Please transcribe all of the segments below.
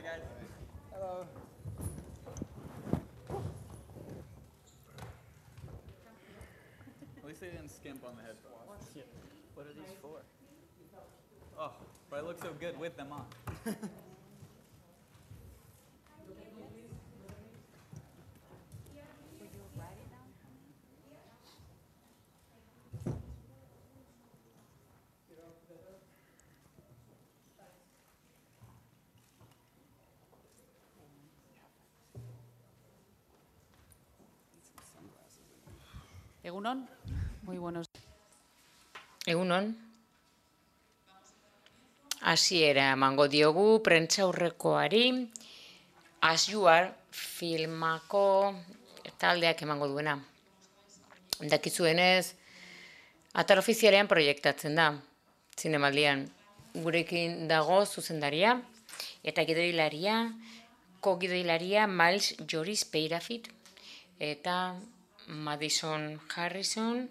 Hi, guys. Hello. At least they didn't skimp on the headphones. Yeah. What are these for? Oh, but I look so good with them on. Egunon, muy buenos. Egunon. Hasiera emango diogu prentsaurrekoari As You Are filmako taldeak emango duena. Dakizuenez, atal ofizialean proiektatzen da, zinemaldian. Gurekin dago zuzendaria eta gidoilaria, ko-gidoilaria Miles Joris Peirafit eta Madison Harrison,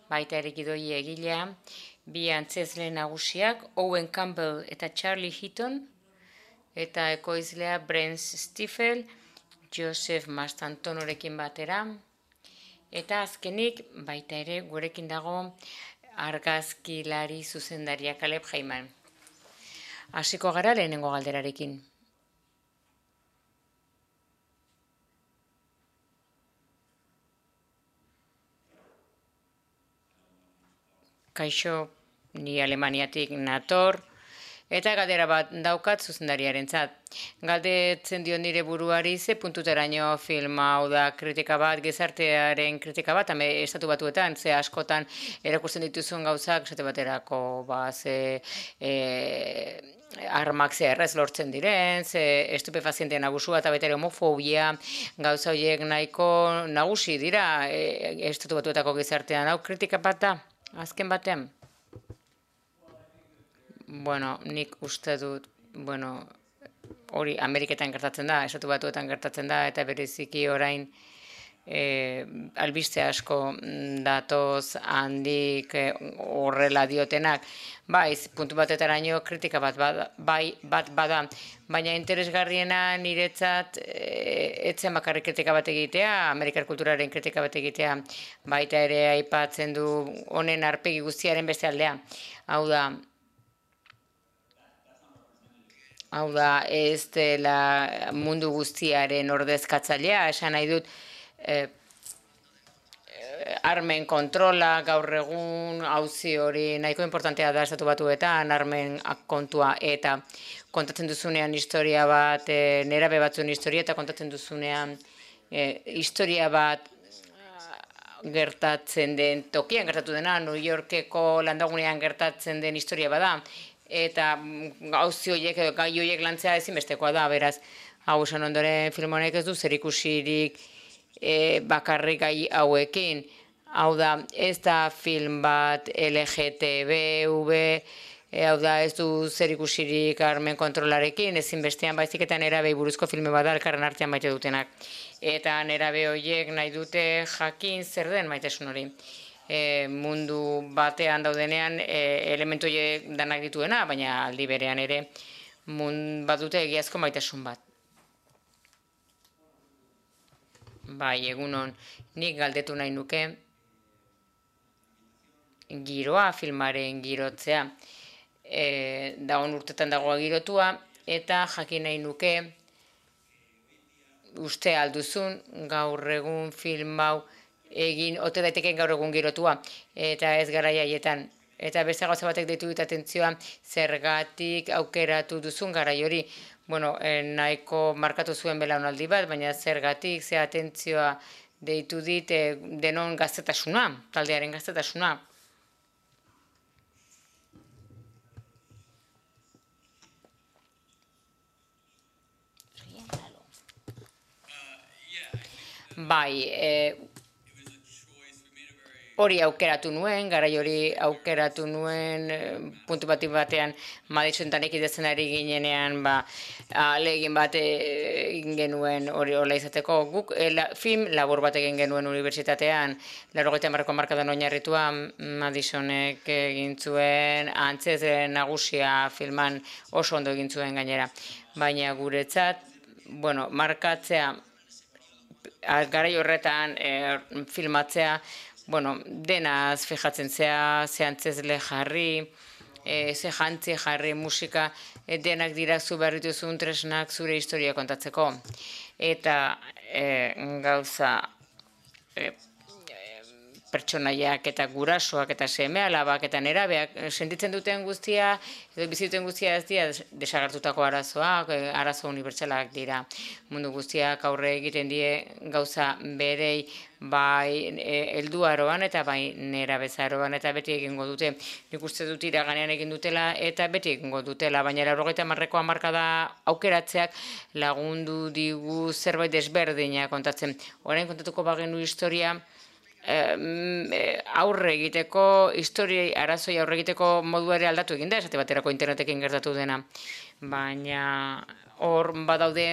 baita ere gidoi egilea, bi antzezle nagusiak, Owen Campbell eta Charlie Heaton, eta ekoizlea Brent Stiefel, Joseph Mastantonorekin batera, eta azkenik baita ere gurekin dago argazkilari zuzendaria Caleb Heyman. Hasiko gara lehenengo galderarekin. Kaixo, ni Alemaniatik nator, eta galdera bat daukat zuzendariarentzat. Galdetzen dio nire buruari ze puntuteraino film hau da kritika bat, gizartearen kritika bat, estatu batuetan, ze askotan erakusten dituzun gauzak, esate baterako, ze armak ze errez lortzen diren, ze estupefazienteen abusua eta baita ere homofobia, gauza horiek nahiko nagusi dira estatu batuetako gizartean. Hau kritika bat da, azken batean? Bueno, nik uste dut, hori Ameriketan gertatzen da, estatu batuetan gertatzen da, eta bereziki orain albiste asko datoz handik horrela diotenak. Bai, puntu batetaraino kritika bat bada, baina interesgarriena niretzat etzen bakarrik kritika bat egitea, Amerikar kulturaren kritika bat egitea, baita ere aipatzen du honen arpegi guztiaren beste aldea. Hau da, ez dela mundu guztiaren ordezkatzailea, esan nahi dut, armen kontrola, gaur egun, auzi hori nahiko importantea da estatu batuetan, armen kontua, eta kontatzen duzunean historia bat, nerabe batzuen historia, eta kontatzen duzunean historia bat gertatzen den tokian gertatu dena, New Yorkeko landagunean gertatzen den historia bada, eta gauzi horiek, gai horiek lantzea ezinbestekoa da, beraz, hau esan ondoren film honek ez du zerikusirik bakarrik gai hauekin. Hau da, ez da film bat LGTBV, hau da, ez du zerikusirik armen kontrolarekin, ezinbestean baizik eta nerabei buruzko filme bada elkarren artean maite dutenak. Eta nerabe horiek nahi dute jakin zer den maitasun hori. Mundu batean daudenean elementu horiek danak dituena, baina aldi berean ere bat dute egiazko maitasun bat. Bai, egunon, nik galdetu nahi nuke giroa, filmaren girotzea. Dagoen urtetan dagoa girotua, eta jakin nahi nuke uste alduzun gaur egun film hau egin, ote daiteken gaur egun girotua, eta ez garai haietan. Eta beste gauza batek deitu dut atentzioa, zergatik aukeratu duzun garai hori. Nahiko markatu zuen belaunaldi bat, baina zergatik, ze atentzioa deitu dit denon gaztetasuna, taldearen gaztetasuna. Bai, hori aukeratu nuen, garai hori aukeratu nuen, puntu batean Madisontan ekidezen ari ginenean, ahalegin bat egin genuen hori hola izateko. Guk film labur bat egin genuen unibertsitatean, 80 hamarkadan oinarritua, Madisonek egin zuen, antzez nagusia filman oso ondo egin zuen gainera. Baina guretzat, markatzea, garai horretan filmatzea, denaz fijatzen zea, ze antzezle jarri, ze jantzi jarri, musika, denak dira zu behar dituzun tresnak zure historia kontatzeko. Eta gauza pertsonaiak eta gurasoak eta seme-alabak eta nerabeak sentitzen duten guztia, edo bizituten guztia ez dira desagertutako arazoak, arazo unibertsalak dira. Mundu guztiak aurre egiten die gauza berei bai helduaroan eta bai nerabezaroan eta beti egingo dute. Nik uste dut iraganean egin dutela eta beti egingo dutela, baina 80 hamarkada aukeratzeak lagundu digu zerbait desberdina kontatzen. Orain kontatuko bagenu historia, aurre egiteko, historiei arazoi aurre egiteko modua ere aldatu egin da, esate baterako internetekin gertatu dena. Baina hor badaude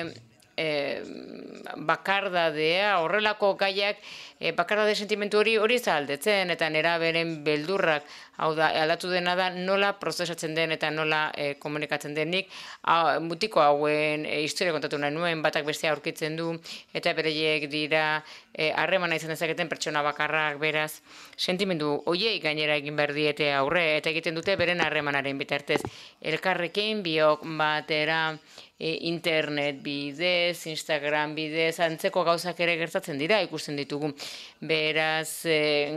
bakardadea, horrelako gaiak, bakardade sentimentu hori ez da aldetzen, eta neraberen beldurrak, hau da, aldatu dena da nola prozesatzen den eta nola komunikatzen denik, mutiko hauen historia kontatu nahi nuen, batak bestea aurkitzen du, eta bereiek dira harremana izan dezaketen pertsona bakarrak, beraz, sentimendu hoiei gainera egin behar diete aurre, eta egiten dute beren harremanaren bitartez. Elkarrekin biok batera internet bidez, Instagram bidez, antzeko gauzak ere gertatzen dira, ikusten ditugu. Beraz,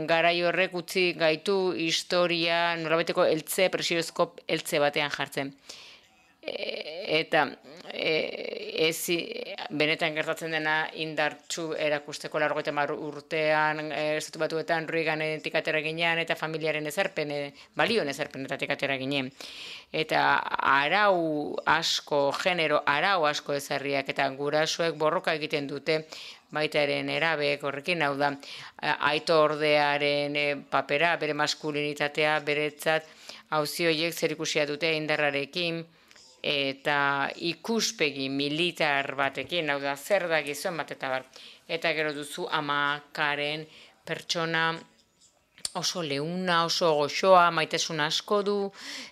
garai horrek utzi gaitu historia nolabaiteko eltze, presiozko eltze batean jartzen. Eta benetan gertatzen dena indartsu erakusteko 80 urtean, Estatu Batuetan Reaganetik atera ginean eta familiaren ezarpen, balioen ezarpenetatik atera ginen. Eta arau asko, genero arau asko ezarriak eta gurasoek borroka egiten dute, baita ere nerabeek horrekin, hau da, aito ordearen papera, bere maskulinitatea, beretzat, auzi horiek zerikusia dute indarrarekin, eta ikuspegi militar batekin, hau da, zer da gizon bat eta bar. Eta gero duzu amakaren pertsona oso leuna, oso goxoa, maitasun asko du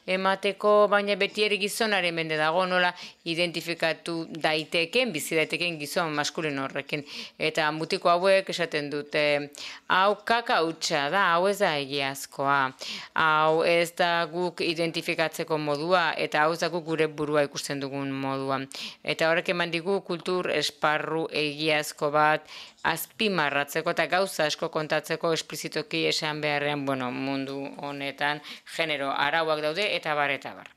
emateko, baina beti ere gizonaren mende dago, nola identifikatu daiteken, bizi daiteken gizon maskulin horrekin. Eta mutiko hauek esaten dute, hau kaka hutsa da, hau ez da egiazkoa, hau ez da guk identifikatzeko modua, eta hau ez da guk gure burua ikusten dugun modua. Eta horrek eman digu kultur esparru egiazko bat, azpimarratzeko eta gauza asko kontatzeko esplizitoki esan beharrean, mundu honetan genero arauak daude eta bar eta bar.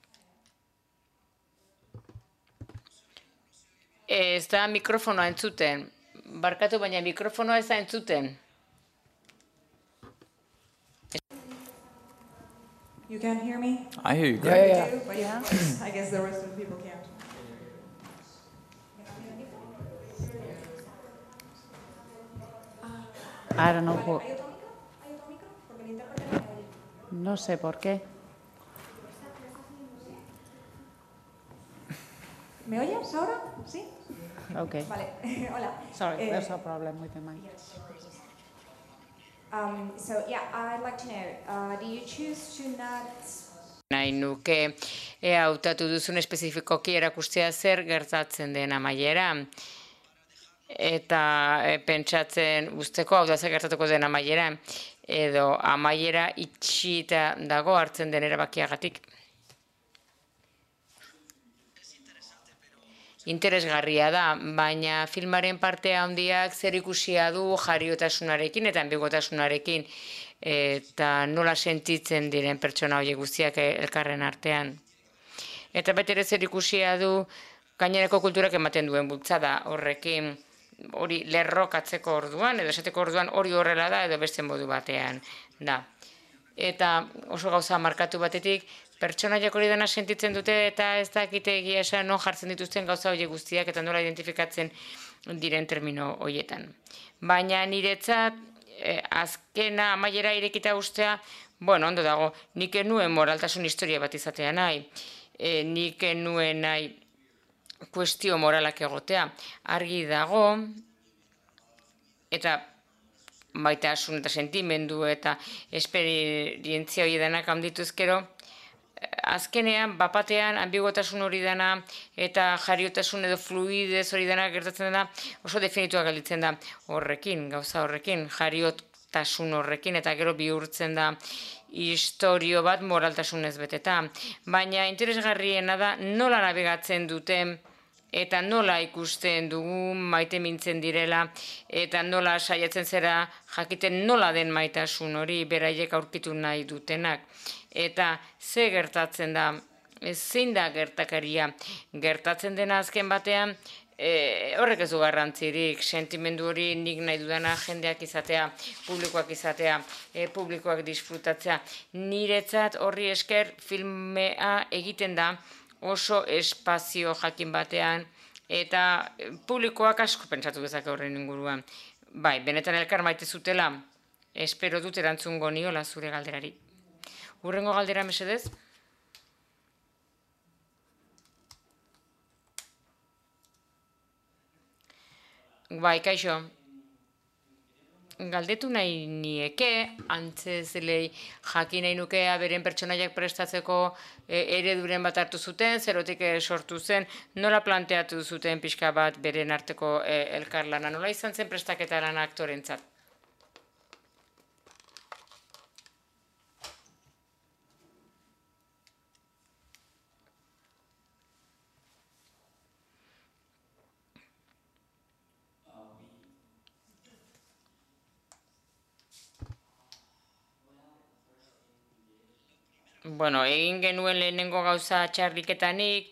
Ez da mikrofonoa entzuten. Barkatu, baina mikrofonoa ez da entzuten. You can't hear me? I hear you great. I do, but I guess the rest of the people can't. I don't know who. No sé por qué. ¿Me oyes ahora? ¿Sí? Okay. Vale, hola. Sorry, there's a problem with the mic. So yeah, I'd like to know, do you choose to not... Nahi nuke hautatu duzun espezifikoki erakustea zer gertatzen den amaiera. Eta pentsatzen usteko, hau da zer gertatuko den amaiera, edo amaiera itxita dago hartzen den erabakiagatik. Interesgarria da, baina filmaren parte handiak zer ikusia du jariotasunarekin eta ambigotasunarekin, eta nola sentitzen diren pertsona horiek guztiak elkarren artean. Eta bete ere zer ikusia du gainerako kulturak ematen duen bultzada horrekin, hori lerrokatzeko orduan, edo esateko orduan hori horrela da, edo beste modu batean da. Eta oso gauza markatu batetik, pertsonaiak hori dena sentitzen dute eta ez dakite egia esan non jartzen dituzten gauza horiek guztiak eta nola identifikatzen diren termino horietan. Baina niretzat azkena amaiera irekita ustea, bueno, ondo dago, nik enuen moraltasun historia bat izatea nahi, nik enuen nahi kuestio moralak egotea, argi dago, eta maitasun eta sentimendu eta esperientzia hori denak handituzkero, azkenean, bapatean, ambigotasun hori dena eta jariotasun edo fluidez hori dena gertatzen dena oso definituak gelditzen da horrekin, gauza horrekin, jariotasun horrekin eta gero bihurtzen da istorio bat moraltasunez beteta. Baina interesgarriena da nola nabigatzen duten eta nola ikusten dugu maite mintzen direla, eta nola saiatzen zera jakiten nola den maitasun hori beraiek aurkitu nahi dutenak. Eta ze gertatzen da, zein da gertakaria, gertatzen dena azken batean, horrek ez du garrantzirik, sentimendu hori nik nahi dudana jendeak izatea, publikoak izatea, publikoak disfrutatzea. Niretzat horri esker filmea egiten da, oso espazio jakin batean, eta publikoak asko pentsatu dezake horren inguruan. Bai, benetan elkar maite zutela, espero dut erantzungo niola zure galderari. Hurrengo galdera mesedez? Bai, kaixo. Galdetu nahi nieke, antzezlei jakin nahi nukea beren pertsonaiak prestatzeko ereduren bat hartu zuten, zerotik sortu zen, nola planteatu zuten pixka bat beren arteko elkarlana, nola izan zen prestaketa lana aktorentzat? Bueno, egin genuen lehenengo gauza txarliketanik,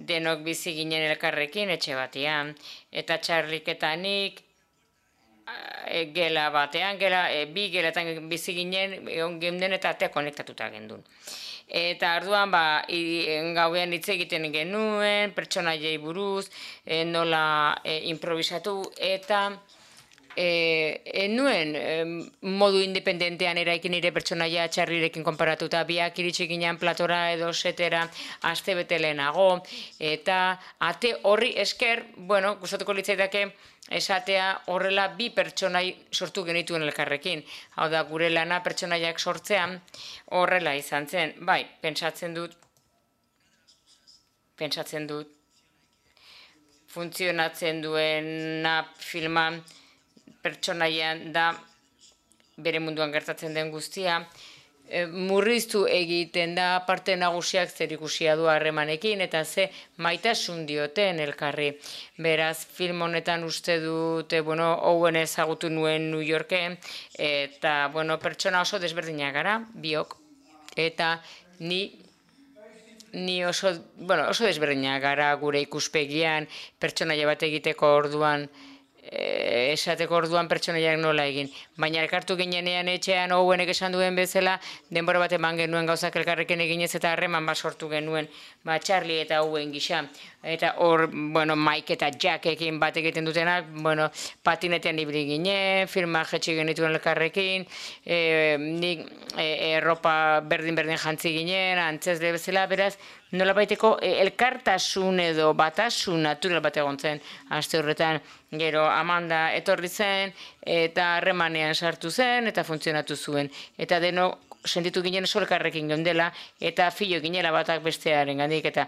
denok bizi ginen elkarrekin etxe batean, eta txarliketanik gela batean, bi gelatan bizi ginen, egon geunden eta atea konektatuta gendun. Eta arduan, gauean hitz egiten genuen, pertsonaiei buruz, nola improvisatu, eta nuen modu independentean eraikin nire pertsonaia txarrirekin konparatuta, biak iritsi ginen platora edo setera aste bete lehenago, eta ate horri esker, bueno, gustatuko litzaidake esatea horrela bi pertsonai sortu genituen elkarrekin. Hau da, gure lana pertsonaiak sortzean horrela izan zen. Bai, pentsatzen dut, funtzionatzen duena filma pertsonaian da bere munduan gertatzen den guztia, murriztu egiten da parte nagusiak zer ikusia du harremanekin eta ze maitasun dioten elkarri. Beraz, film honetan uste dute, Owen ezagutu nuen New Yorken, eta, pertsona oso desberdinak gara, biok, eta ni oso desberdinak gara gure ikuspegian, pertsonaia bat egiteko orduan, esateko orduan pertsonaiak nola egin. Baina elkartu ginenean etxean Owenek esan duen bezala, denbora bat eman genuen gauzak elkarrekin eginez eta harreman bat sortu genuen, Charlie eta Owen gisa. Eta hor, Mike eta Jackekin bat egiten dutenak, patinetean ibili ginen, filma jetxi genituen elkarrekin, nik erropa berdin-berdin jantzi ginen, antzezle bezala, beraz, nola baiteko elkartasun edo batasun natural bat egon zen, aste horretan, gero Amanda etorri zen, eta harremanean sartu zen, eta funtzionatu zuen. Eta deno, sentitu ginen oso elkarrekin geundela, eta filo ginela batak bestearen gandik, eta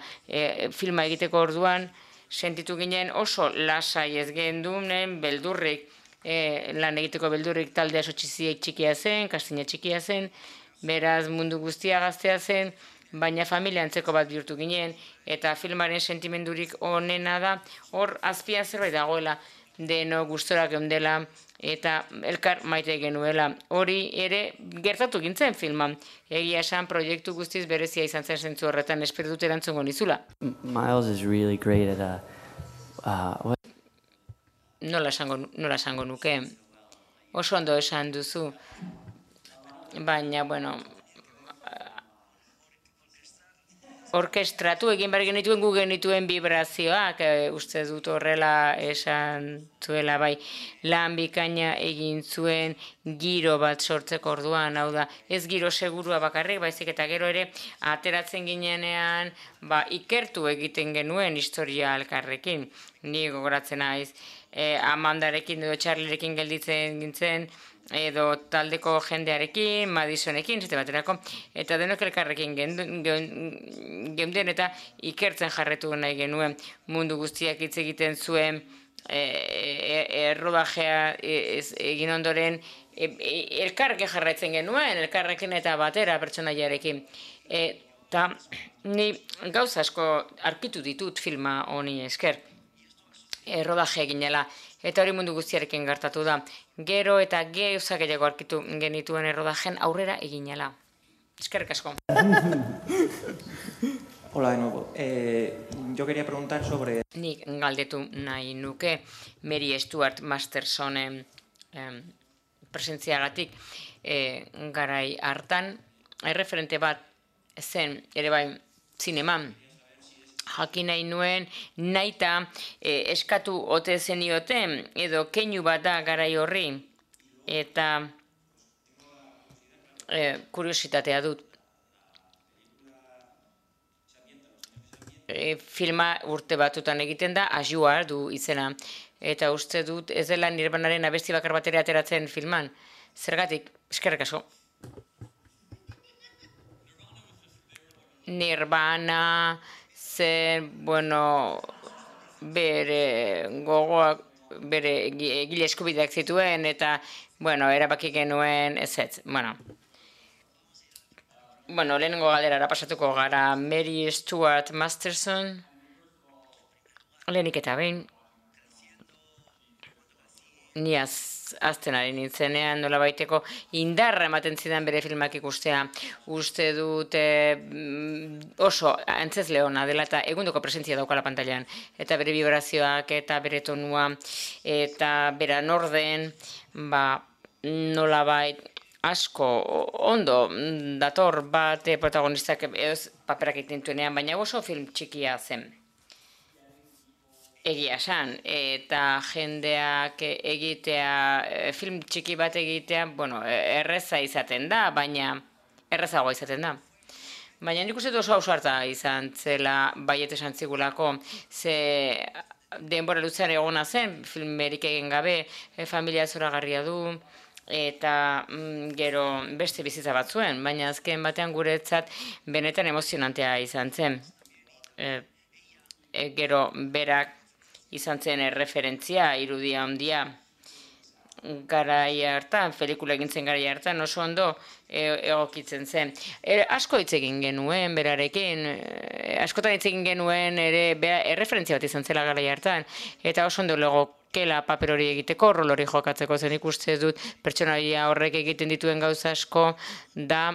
filma egiteko orduan, sentitu ginen oso lasai ez gendunen beldurrik, lan egiteko beldurrik taldea oso txikia zen, kastina txikia zen, beraz mundu guztia gaztea zen, baina familia antzeko bat bihurtu ginen, eta filmaren sentimendurik onena da, hor azpian zerbait dagoela, deno gustora geundela, eta elkar maite genuela. Hori ere gertatu gintzen filman. Egia esan proiektu guztiz berezia izan zen zentzu horretan, espero dut erantzungo nizula. Miles is really great at Nola esango nuke? Oso ondo esan duzu. Baina, orkestratu egin behar genituen gu genituen vibrazioak, uste dut horrela esan zuela bai, lan bikaina egin zuen giro bat sortzeko orduan, hau da, ez giro segurua bakarrik, baizik eta gero ere ateratzen ginenean, ikertu egiten genuen historia elkarrekin, ni gogoratzen naiz, Amandarekin edo Charlierekin gelditzen gintzen, edo taldeko jendearekin, Madisonekin, zete baterako, eta denok elkarrekin geunden eta ikertzen jarretu nahi genuen mundu guztiak hitz egiten zuen errodajea egin ondoren elkarrekin jarraitzen genuen, elkarrekin eta batera pertsonaiarekin. Eta ni gauza asko arkitu ditut filma honi esker. Rodaje eginela, eta hori mundu guztiarekin gertatu da. Gero eta gauza gehiago arkitu genituen errodajen aurrera eginela. Eskerrik asko. Hola de nuevo. Yo quería preguntar sobre... Nik galdetu nahi nuke Mary Stuart Mastersonen presentziagatik garai hartan. Erreferente bat zen, ere bai, zineman. Jakin nahi nuen, nahita eskatu ote zenioten, edo keinu bat da garai horri, eta kuriositatea dut. Filma urte batutan egiten da, Ajua du izena, eta uste dut ez dela Nirvanaren abesti bakar bat ere ateratzen filman. Zergatik, eskerrik asko. Nirvana... bere gogoak, bere egile eskubideak zituen, eta, erabaki genuen ezetz. Lehenengo galderara pasatuko gara, Mary Stuart Masterson, lehenik eta behin, ni azten ari nintzenean nola baiteko indarra ematen zidan bere filmak ikustea. Uste dut oso antzez leona dela eta egundoko presentzia daukala pantailan. Eta bere vibrazioak eta bere tonua eta bera norden, nola bait asko ondo dator bat protagonistak paperak egiten baina oso film txikia zen. Egia esan, eta jendeak egitea, film txiki bat egitea, erreza izaten da, baina errezagoa izaten da. Baina nik uste oso ausarta izan zela baiet esan zigulako, ze denbora luzean egona zen, filmerik egin gabe, familia zoragarria du, eta gero beste bizitza bat zuen, baina azken batean guretzat benetan emozionantea izan zen. Gero berak izan zen erreferentzia, irudia handia, garai hartan, pelikula egintzen garai hartan, oso ondo egokitzen zen. Asko hitz egin genuen berarekin, askotan hitz egin genuen ere erreferentzia bat izan zela garai hartan, eta oso ondo legokela paper hori egiteko, rol hori jokatzeko zen ikuste dut, pertsonaia horrek egiten dituen gauza asko da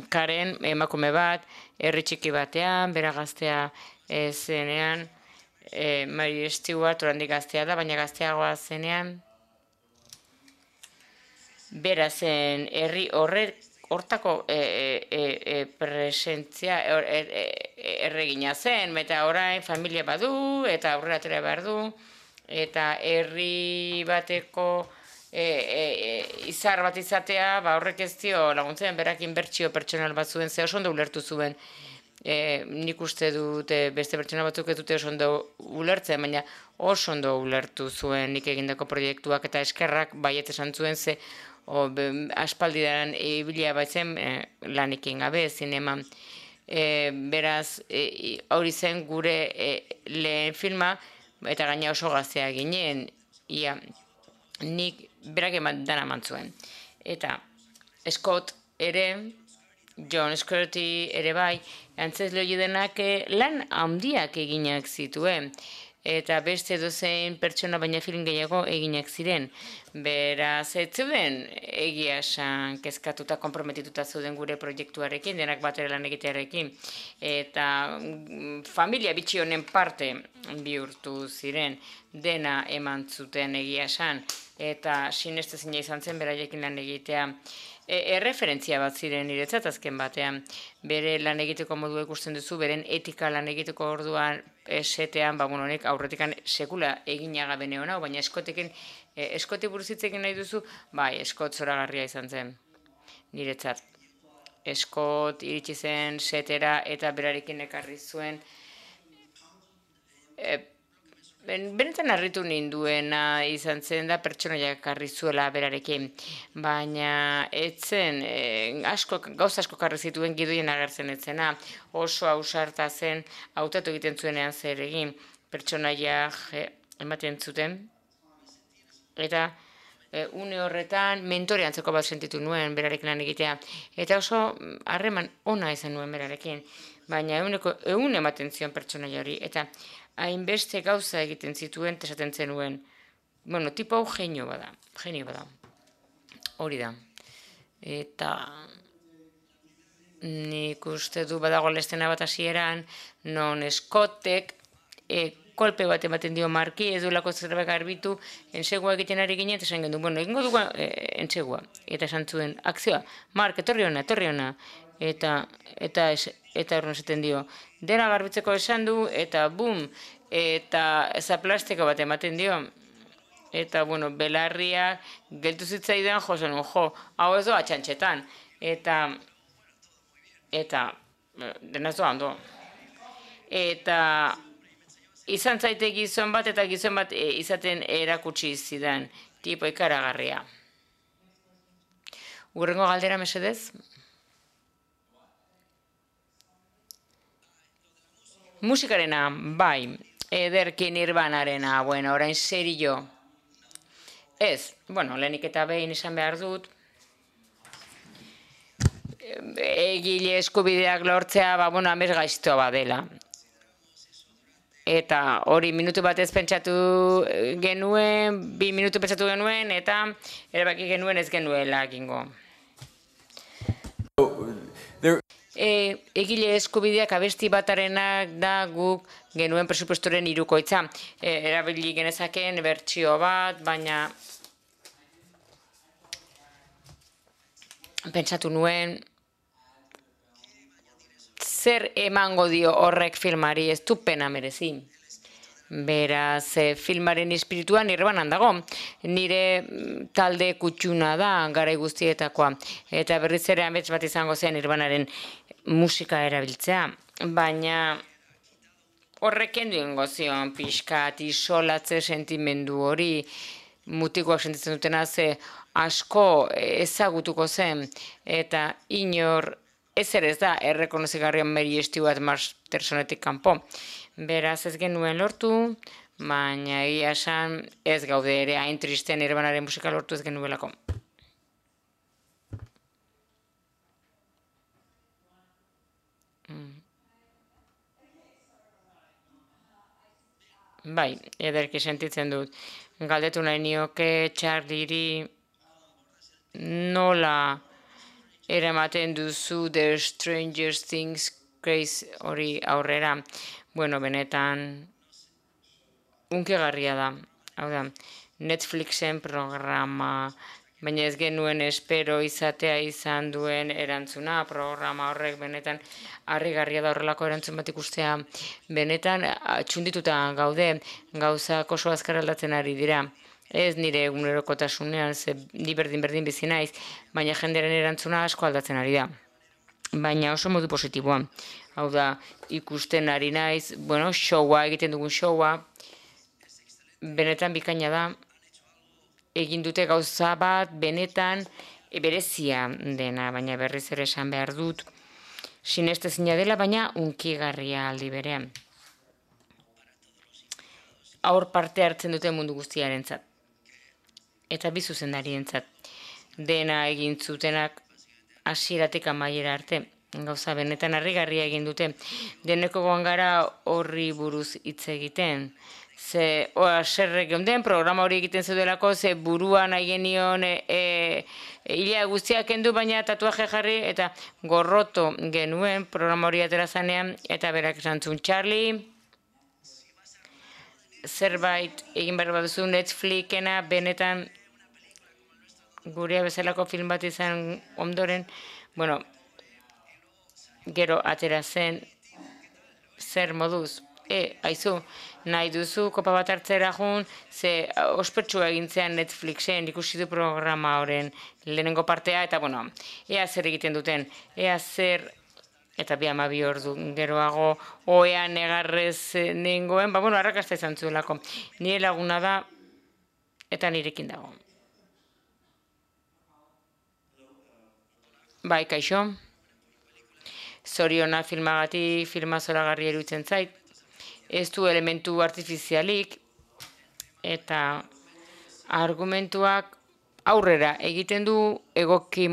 Karen emakume bat, herri txiki batean, bera gaztea zenean, Mary Stuart oraindik gaztea da, baina gazteagoa zenean, bera zen herri hortako presentzia erregina zen, eta orain familia badu, eta aurrera atera behar du, eta herri bateko izar bat izatea, horrek ez dio laguntzen, berak inbertsio pertsonal bat zuen, ze oso ondo ulertu zuen. Nik uste dut beste pertsona batzuk ez dute oso ondo ulertzen, baina oso ondo ulertu zuen nik egindako proiektuak eta eskerrak baiet esan zuen, ze aspaldidan ibilia baitzen lanikin gabe, zineman. Beraz, hori zen gure lehen filma, eta gaina oso gaztea ginen, nik berak dana eman zuen. Eta Scott ere, John Scotty ere bai, antzezle hori denak lan handiak eginak zituen. Eta beste dozein pertsona baina film gehiago eginak ziren. Beraz, ez zeuden egia esan kezkatuta, konprometituta zeuden gure proiektuarekin, denak batera lan egitearekin. Eta familia bitxi honen parte bihurtu ziren, dena eman zuten egia esan. eta sinestezina izan zen beraiekin lan egitea. Erreferentzia bat ziren niretzat azken batean. Bere lan egiteko modua ikusten duzu, beren etika lan egiteko orduan esetean, honek aurretikan sekula eginaga bene hona, baina eskoti buruzitzekin nahi duzu, bai, Scott zoragarria izan zen niretzat. Scott iritsi zen setera eta berarekin ekarri zuen. Benetan harritu ninduena izan zen da pertsonaiak ekarri zuela berarekin, baina etzen, gauza asko karri zituen gidoien agertzen etzena, oso ausarta zen, hautatu egiten zuenean zer egin, pertsonaiak ematen zuten, eta une horretan mentore antzeko bat sentitu nuen berarekin lan egitea, eta oso harreman ona izan nuen berarekin, baina egun ematen zion pertsonaia hori, eta hainbeste gauza egiten zituen, esaten zenuen. Bueno, tipo hau genio bada. Hori da. Eta nik uste du badago lestena bat hasieran, non Scottek kolpe bat ematen dio Marki, ez duelako zerbait garbitu, entsegua egiten ari ginen, eta esan gendu, bueno, egingo dugu entsegua. Eta esan zuen, akzioa, Mark, etorri ona. Eta horren esaten dio, dena garbitzeko esan du, eta bum, eta zaplastiko bat ematen dio. Eta, bueno, belarria geltu zitzaidan, hau ez doa txantxetan. Eta, dena ez doa ondo. Eta, izan zaite gizon bat, eta gizon bat izaten erakutsi zidan, tipo ikaragarria. Urrengo galdera mesedez? Musikarena, bai, ederki Nirvanarena, bueno, orain serio. Ez, bueno, lehenik eta behin izan behar dut. Egile eskubideak lortzea, amez gaiztoa badela. Eta hori minutu batez pentsatu genuen, 2 minutu pentsatu genuen, eta erabaki genuen ez genuela egingo. Egile eskubideak abesti batarenak da guk genuen presupuestoren 3/4. Erabili genezakeen bertsio bat, baina pentsatu nuen zer emango dio horrek filmari, ez du pena merezi. Beraz, filmaren espirituan Nirvanan dago. Nire talde kutxuna da, garai guztietakoa. Eta berriz ere amets bat izango zen Nirvanaren musika erabiltzea. Baina horreken duen gozion pixkat isolatze sentimendu hori, mutikoak sentitzen dutena ze asko ezagutuko zen. Eta inor ez ere ez da errekonozigarrian Mary Stewart Mastersonetik kanpo. Beraz ez genuen lortu, baina egia esan ez gaude ere hain tristen Nirvanaren musika lortu ez genuelako. Bai, ederki sentitzen dut. Galdetu nahi nioke Charlieri nola eramaten duzu The Stranger Things craze hori aurrera. Bueno, benetan unkigarria da. Hau da, Netflixen programa, baina ez genuen espero izatea izan duen erantzuna, programa horrek benetan harrigarria da horrelako erantzun bat ikustea. Benetan txundituta gaude, gauzak oso azkar aldatzen ari dira. Ez nire egunerokotasunean, ze ni berdin bizi naiz, baina jendearen erantzuna asko aldatzen ari da. Baina oso modu positiboan. Hau da, ikusten ari naiz, bueno, egiten dugun showa, benetan bikaina da, egin dute gauza bat, benetan berezia dena, baina berriz ere esan behar dut, sinestezina dela, baina unkigarria aldi berean. Aur parte hartzen dute mundu guztiarentzat. Eta bi zuzendarientzat. Dena egin zutenak hasieratik amaiera arte. Gauza benetan harrigarria egin dute. Deneko goan gara horri buruz hitz egiten. Ze, serre geunden, programa hori egiten zeudelako, ze buruan nahi genion hilea guztiak kendu, baina tatuaje jarri, eta gorroto genuen programa hori atera zanean, eta berak esan zuen, Charlie, zerbait egin behar baduzu Netflixena benetan gurea bezalako film bat izan ondoren, bueno, gero atera zen, zer moduz, aizu, nahi duzu kopa bat hartzera jun, ze ospetsua egintzean Netflixen ikusi du programa horren lehenengo partea, eta bueno, ea zer egiten duten, ea zer, eta bi ordu geroago, oean negarrez nengoen, bueno, arrakasta izan zuelako. Nire laguna da, eta nirekin dago. Bai, kaixo. Zoriona filmagatik, filma zoragarri eruditzen zait. Ez du elementu artifizialik, eta argumentuak aurrera egiten du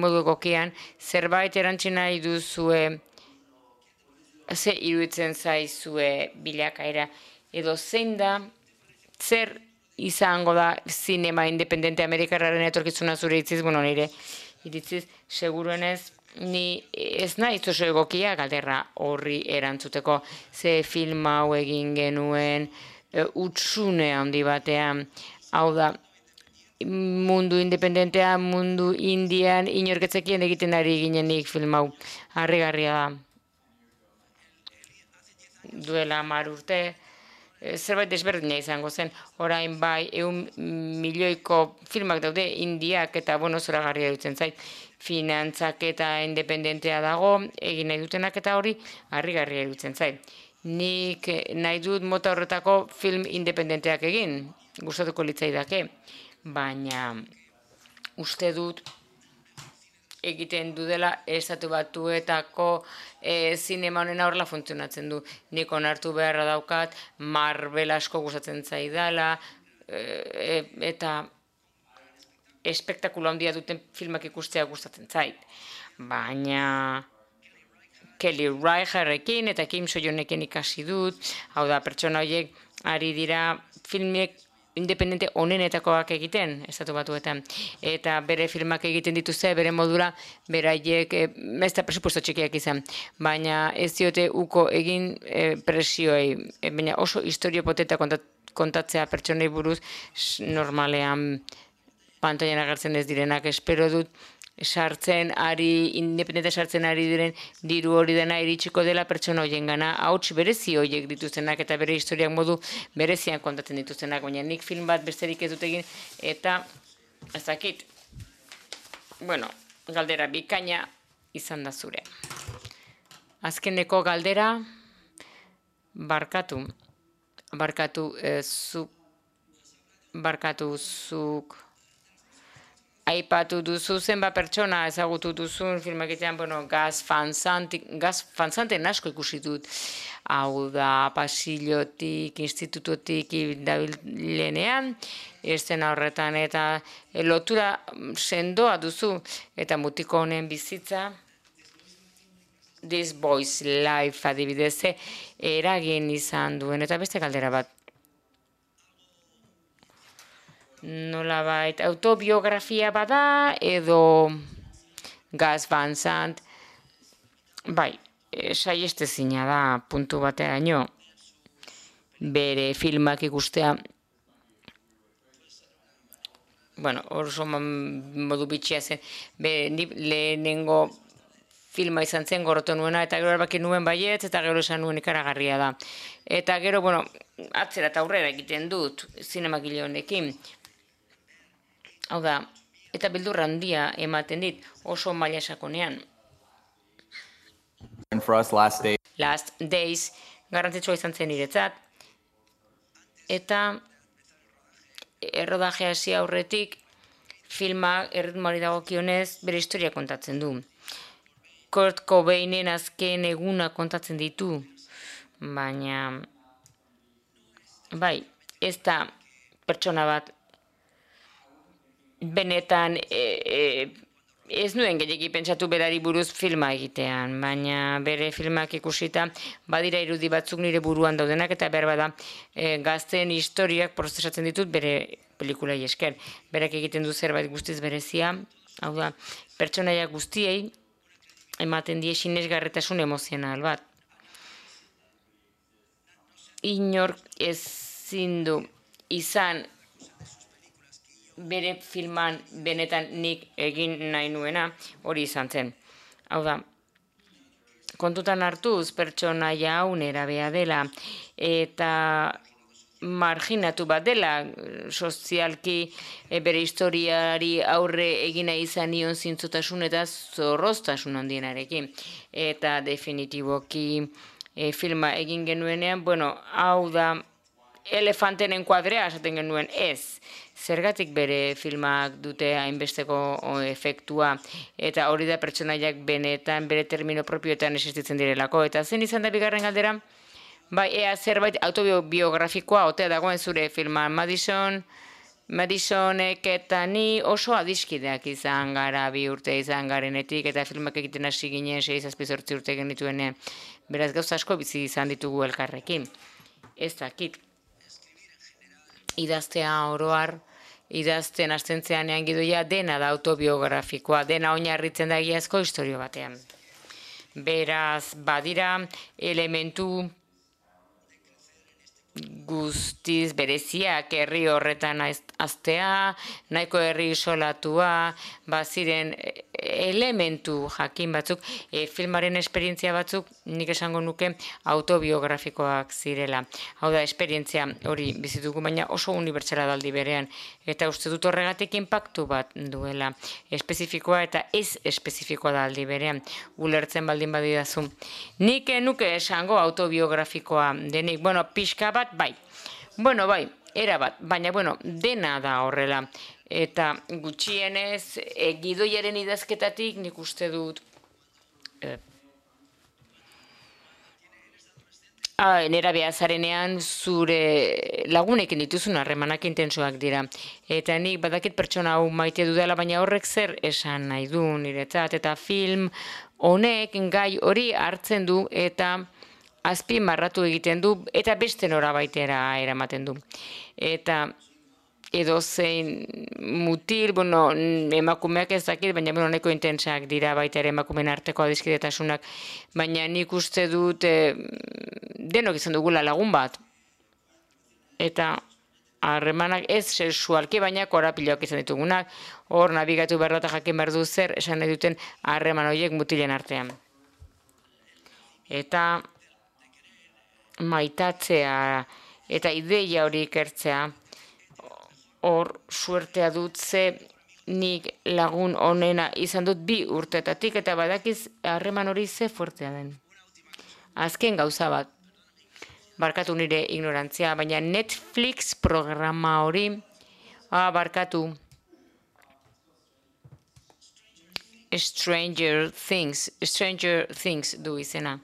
modu egokian, zerbait erantzi nahi duzue, ze iruditzen zaizue bilakaera, edo zein da, zer izango da zinema independente amerikarraren etorkizuna zure itziz, bueno, nire iritziz, seguruenez, ni ez nahi oso egokia galderra horri erantzuteko, ze film hau egin genuen utzune handi batean, hau da, mundu independentea, mundu indian, inorketzekien egiten ari ginenik film hau, harrigarria da. Duela 10 urte, zerbait desberdina izango zen, orain bai 100 milioiko filmak daude indiak eta bueno, zoragarria dutzen zait, finantzak eta independentea dago, egin nahi dutenak eta hori harrigarria dutzen zait. Nik nahi dut mota horretako film independenteak egin, gustatuko litzaidake, baina uste dut egiten dudela estatu batuetako zinema honena horrela funtzionatzen du. Nik onartu beharra daukat, Marvel asko gustatzen zaidala, eta espektakulo handia duten filmak ikustea gustatzen zait. Baina Kelly Reicharrekin eta Kim So-yeonekin ikasi dut, hau da, pertsona horiek ari dira filmek independente onenetakoak egiten, estatu batuetan. Eta bere filmak egiten dituzte, bere modura, beraiek, ez da presupuesto txikiak izan, baina ez diote uko egin presioei, baina oso historio poteta kontatzea pertsonei buruz, normalean pantailan agertzen ez direnak, espero dut, independente sartzen ari diren diru hori dena iritsiko dela pertsona horien gana, hauts berezi horiek dituztenak eta bere historiak modu berezian kontatzen dituztenak, baina nik film bat besterik ez dut egin, eta ez dakit, bueno, galdera bikaina izan da zure. Azkeneko galdera, barkatu zuk, aipatu duzu zenba pertsona ezagutu duzun filmakitean, bueno, Gus Van Santen asko ikusi dut. Hau da, pasillotik, institutotik dabilenean, estena horretan, eta lotura sendoa duzu, eta mutiko honen bizitza, This Boy's Life adibidez, eragin izan duen, eta beste galdera bat. Nolabait autobiografia bada edo Gus Van Sant, bai, saiestezina da puntu bateraino bere filmak ikustea, bueno, oso modu bitxia zen, lehenengo filma izan zen gorroto nuena, eta gero erbaki nuen baietz, eta gero esan nuen ikaragarria da. Eta gero, bueno, atzera eta aurrera egiten dut zinemagile honekin. Hau da, eta beldurra handia ematen dit, oso maila sakonean. Last Days garrantzitsua izan zen niretzat, eta errodaje hasi aurretik filmak erritmoari dagokionez bere historia kontatzen du. Kurt Cobainen azken eguna kontatzen ditu, baina bai, ez da pertsona bat benetan ez nuen gehiagi pentsatu berari buruz filma egitean, baina bere filmak ikusita badira irudi batzuk nire buruan daudenak eta behar bada gazteen historiak prozesatzen ditut bere pelikulai esker. Berak egiten du zerbait guztiz berezia, hau da, pertsonaia guztiei ematen die sinesgarritasun emozional bat. Inork ezin du izan bere filman benetan nik egin nahi nuena hori izan zen. Hau da, kontutan hartuz pertsonaia hau nerabea dela eta marginatu bat dela, sozialki bere historiari aurre egina izan nion zintzotasun eta zorroztasun handienarekin. Eta definitiboki filma egin genuenean, hau da, elefantenen kuadrea esaten genuen ez. Zergatik bere filmak dute hainbesteko efektua, eta hori da pertsonaiak benetan bere termino propioetan existitzen direlako. Eta zen izan da bigarren galdera? Bai, ea zerbait autobiografikoa otea dagoen zure filman. Madisonek eta ni oso adiskideak izan gara 2 urte izan garenetik, eta filmak egiten hasi ginen 6-7 urte genituenean. Beraz gauza asko bizi izan ditugu elkarrekin. Ez dakit. Idaztea oroar, idazten astentzeanean gidoia dena da autobiografikoa, dena oinarritzen da egiazko istorio batean. Beraz, badira elementu guztiz bereziak herri horretan aztea, nahiko herri isolatua, baziren elementu jakin batzuk, filmaren esperientzia batzuk nik esango nuke autobiografikoak zirela. Hau da, esperientzia hori bizitugu, baina oso unibertsala daldi berean, eta uste dut horregatik inpaktu bat duela, espezifikoa eta ez espezifikoa daldi berean, ulertzen baldin badidazu. Nik nuke esango autobiografikoa denik, pixka bat, bai, erabat, baina, dena da horrela. Eta gutxienez, gidoiaren idazketatik nik uste dut nerabea zarenean zure lagunekin dituzun harremanak intensoak dira. Eta nik badakit pertsona hau maite dudala, baina horrek zer esan nahi du niretzat. Eta film honek gai hori hartzen du eta azpimarratu egiten du eta beste norabaitera eramaten du. Eta edozein mutil, emakumeak ez dakit, baina nahiko intensak dira baita ere emakumeen arteko adiskidetasunak, baina nik uste dut denok izan dugula lagun bat. Eta harremanak ez sexualki, baina korapiloak izan ditugunak, hor nabigatu behar eta jakin behar du zer esan nahi duten harreman horiek mutilen artean. Eta maitatzea eta ideia hori ikertzea, hor suertea dut ze nik lagun onena izan dut 2 urtetatik eta badakiz harreman hori ze fuertea den. Azken gauza bat, barkatu nire ignorantzia, baina Netflix programa hori, barkatu, Stranger Things du izena.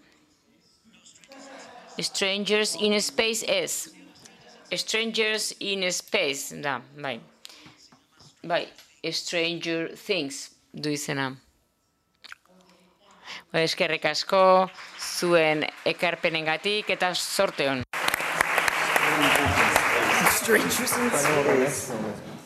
Strangers in Space ez. Strangers in Space, da, bai. Stranger Things du izena. Eskerrik asko zuen ekarpenengatik eta zorte hon. Strangers in Space.